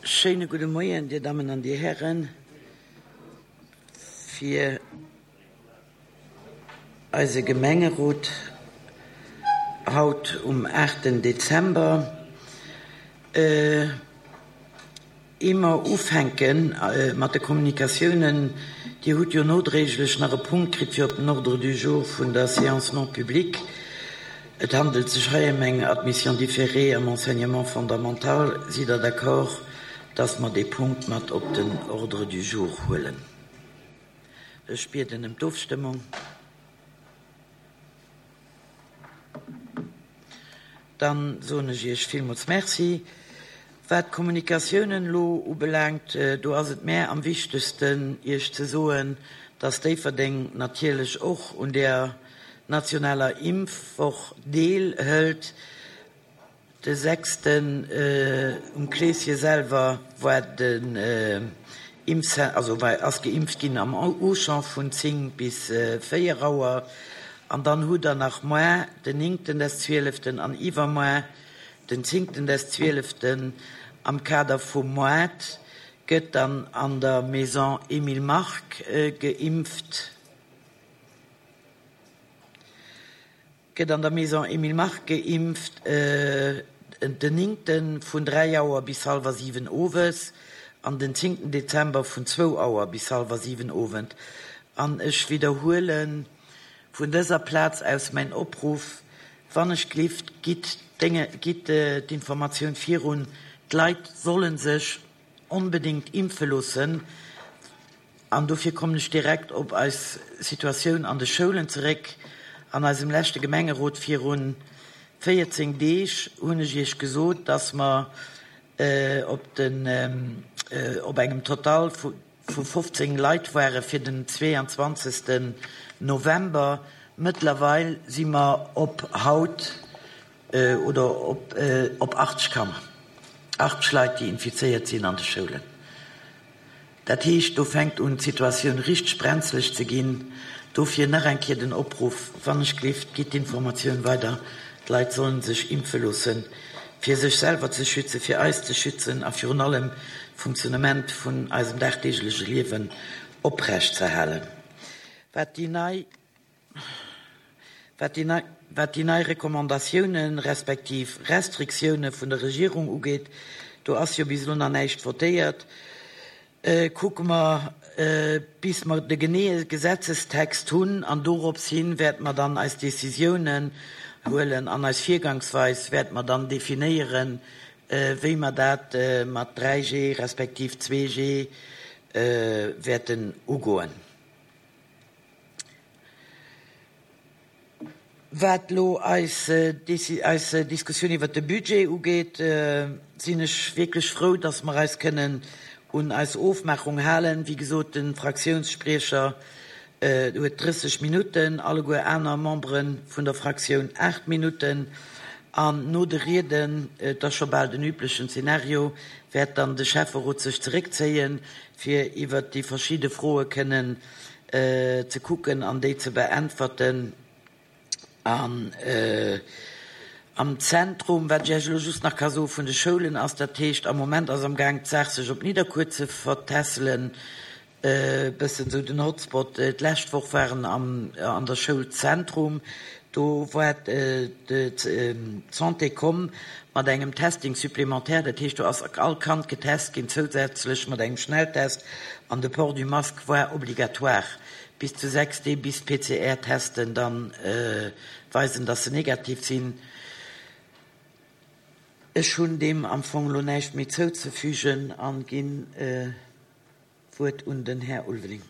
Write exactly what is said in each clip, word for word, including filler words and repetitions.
Schéine gudde Moien, Dir Dammen an Dir Hären, fir eise Gemengerot haut um aachten Dezember. Ier mer ufänke mat de Kommunikatiounen, Dir hutt jo nodréiglech nach e Punkt kritt fir op den Ordre du jour vun der Séance non publique. Et handelt sech hei ëm eng Admission différée am Enseignement fondamental. Sidd Der d'accord, dass mer dee Punkt mat op den Ordre du jour huelen? Ech bieden ëm d'Ofstëmmung. Dann soen ech Iech villmools Merci. Wat d'Kommunikatiounen elo ubelaangt, do ass et mär am wichtegsten, Iech ze soen, dass Déifferdeng natierlech och un där nationaler Impfwoch deel hëlt. De sechsten um Kleeschen selwer war den Impfcen-, also war, ass geimpft ginn am Auchan vun zéng bis véier Auer. An dann hutt der nach moar den néngten des zwieleften an iwwermoar den zéngten des zwieleften am Kader vum Moart gëtt dann an der Maison Emile Mark geimpft. Gëtt an der Maison Emile Mark geimpft den néngten vun dräi Auer bis hallwer siwen owes an den zéngten Dezember vun zwou Auer bis hallwer siwen owend. An ech widderhuelen vun dëser Plaz aus mäin Opruff, wann ech glift, gitt Dénge, gitt d'Informatioun virun, d'Leit solle sech onbedéngt impfe loossen. An dofir kommen ech direkt op eis Situatioun an de Schoulen zeréck. An eisem leschte Gemengerot virun véierzéng Deeg hunn ech Iech gesot, dass mer op den, op engem Total vu fofzéng Leit ware fir den zweeanzwanzegsten November. Mëttlerweil si mer op haut oder op op achtzeg Kanner, achtzeg Leit, déi infizéiert sinn an de Schoulen. Dat heescht, do fänkt un, d'Situatioun richteg brenzlech ze ginn. Dofir nach eng Kéier den Opruff, wann ech gleeft, gitt d'Informatioun weider, d'Leit sollen sech impfe loossen, fir sech selwer ze schützen, fir eis ze schützen a virun allem d'Funktionnement vun eisem dagdeegleche Liewen oprecht ze halen. Wat déi nei wat déi nei wat déi nei Recommandatiounen respektiv Restriktioune vun der Regierung ugeet, do ass jo bis elo nach näischt votéiert. Kucke mer, bis mer de geneeë Gesetzestext hunn, an dorops hin wäerte mer dann eis Decisiounen huelen an eis Virgangsweis wäerte mer dann definéieren, wéi mer dat mat dräi G respektiv zwee G wäerten ugoen. Wat elo eis eis Diskussioun iwwert de Budget ugeet, sinn ech wierklech frou, dass mer eis kënnen un eis Ofmaachung halen. Wéi gesot, de Fraktiounsspriecher huet drësseg Minutten, alleguer aner Membere vun der Fraktioun aacht Minutten. An no de Rieden, et ass scho bal den üblechen Zeenario, wäert dann de Schäfferot sech zeréckzéien, fir iwwert déi verschidde Froe kënnen ze kucken an déi ze beäntwerten. An am Zentrum, wat ech Iech elo just nach ka soe vun de Schoulen, ass, dat heescht, am Moment ass am Gaang d'Saach sech op Nidderkuer ze vertässelen, e bëssen esou den Hotspot. D'lescht Woch waren am an der Schoul Zentrum, do war d'Santé komm mat engem Testing supplémentaire, dat heescht, do ass all Kand getest ginn zousätzlech mat engem Schnelltest an de Port du masque war obligatoire bis zu sechs Deeg, bis d'P C R-Testen dann weisen, dass se negativ sinn. Ech hunn deem am Fong elo näischt méi zouzefügen an ginn d'Wuert un den Här Ulveling.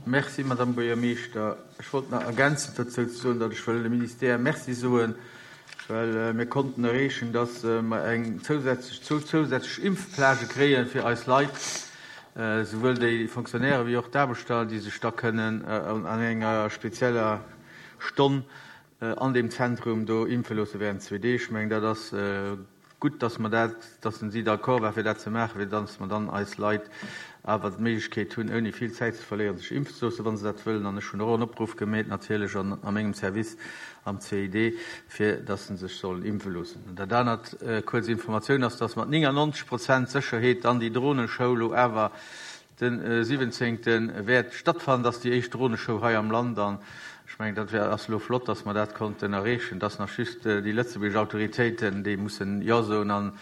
Merci, Madame Buergermeeschter. Ech wollt nach ergänzend dozou ze soen, datt ech wëll dem Ministère Merci soen, well mir konnten erreechen, datt mer eng zousätzlech, zwou zousätzlech Impfplagë kréie fir eis Leit, souwuel déi Fonctionnaire wéi och d'Aarbechter, déi sech da kënnen an enger spezieller Stonn an deem Zentrum do impfe loosse während zwee Deeg. Ech mengen, dat ass gutt, dass mer dat, dass si d'accord war fir dat ze maachen, fir dass mer dann eis Leit awer d'Méiglechkeet hunn, ouni vill Zäit ze verléieren, sech impfen ze loossen, wa se dat wëllen. An ech hunn och en Opruff gemeet natierlech an a mengem Service am C I D, fir dass se sech sollen impfe loossen. An dat anert, kuerz Informatioun ass, dass mat néngannonzeg Prozent Sécherheet dann déi Droneshow lo awer den siwwenzéngte wäert stattfannen. Dass déi éischt Droneshow hei am Land, an ech mengen, dat wär ass lo flott, dass mer dat konnten erreechen, dass nach just déi lëtzebuergesch Autoritéiten, déi mussen Jo soen, an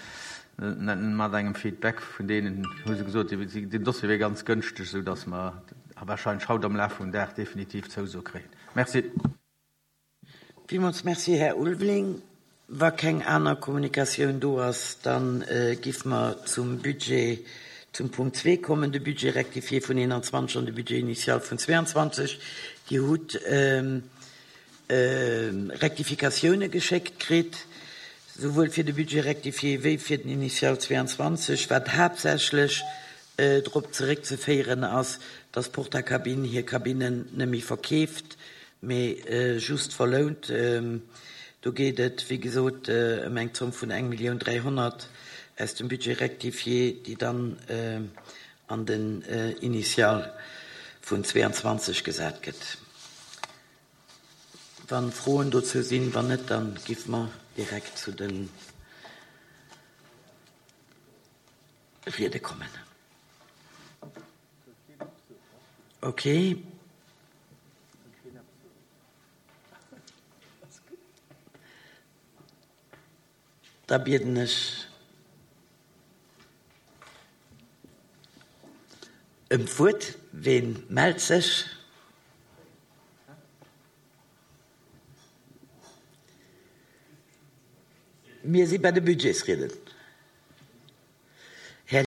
mat engem Feedback vun deenen hu se gesot, den Dossier wier ganz gënschteg, sou dass mer warscheinlech haut am Laf vum Dag definitiv Zouso kréien. Merci. Villmools merci, Här Ulveling. Wa keng aner Kommunikatioun do ass, dann äh, giffe mer zum Budget zum Punkt zwee kommen, de Budget rectifié vun eenanzwanzeg an de Budget initial vun zweianzwanzeg. Dir hutt ähm, äh, Rektifikatioune geschéckt kritt, souwuel fir de Budget rectifié wéi fir den Initial zweianzwanzeg, wat haaptsächlech äh, drop zeréckzeféieren ass, dass Portakabinn hir Kabinnen net méi verkeeft, mee äh, just verlount. Ähm, do geet et, wéi gesot, äh, ëm eng Zomm vun eng Millioun dräihonnert aus dem Budget rectifié, déi dann äh, an den äh, Initial vun zweianzwanzeg gesat gëtt. Wann Froen dozou sinn, wann net, dann giffe mer direkt zu den Riede kommen. Okay. Da bieden ech ëm d'Wuert. Ween mellt sech? Mir si bei de Budgetsrieden.